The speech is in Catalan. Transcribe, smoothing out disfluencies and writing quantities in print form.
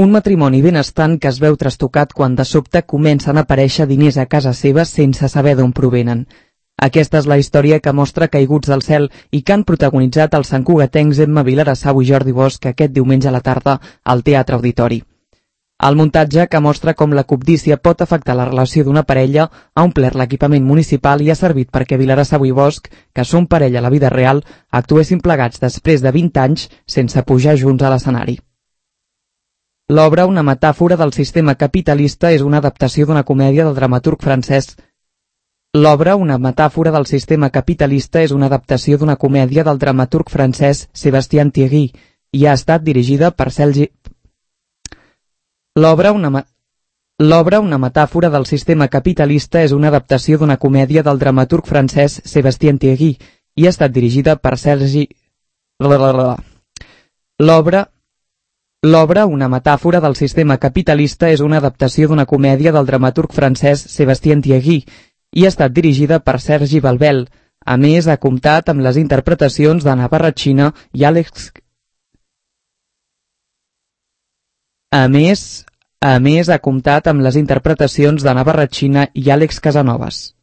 Un matrimoni benestant que es veu trastocat quan de sobte comencen a aparèixer diners a casa seva sense saber d'on provenen. Aquesta és la història que mostra Caiguts del cel i que han protagonitzat els santcugatencs Emma Vilarassau i Jordi Bosch aquest diumenge a la tarda al Teatre Auditori. El muntatge, que mostra com la cobdícia pot afectar la relació d'una parella, ha omplert l'equipament municipal i ha servit perquè Vilarassau i Bosch, que són parella a la vida real, actuessin plegats després de 20 anys sense pujar junts a l'escenari. L'obra, una metàfora del sistema capitalista, és una adaptació d'una comèdia del dramaturg francès. L'obra, una metàfora del sistema capitalista, és una adaptació d'una comèdia del dramaturg francès Sébastien Thierry i ha estat dirigida per Sergi... L'obra, una metàfora del sistema capitalista, és una adaptació d'una comèdia del dramaturg francès Sébastien Thierry i ha estat dirigida per Sergi... L'obra, una metàfora del sistema capitalista, és una adaptació d'una comèdia del dramaturg francès Sébastien Thierry i ha estat dirigida per Sergi Balbel. A més, ha comptat amb les interpretacions d'Anna Barratxina i Àlex... A més, ha comptat amb les interpretacions d'Anna Barratxina i Àlex Casanovas.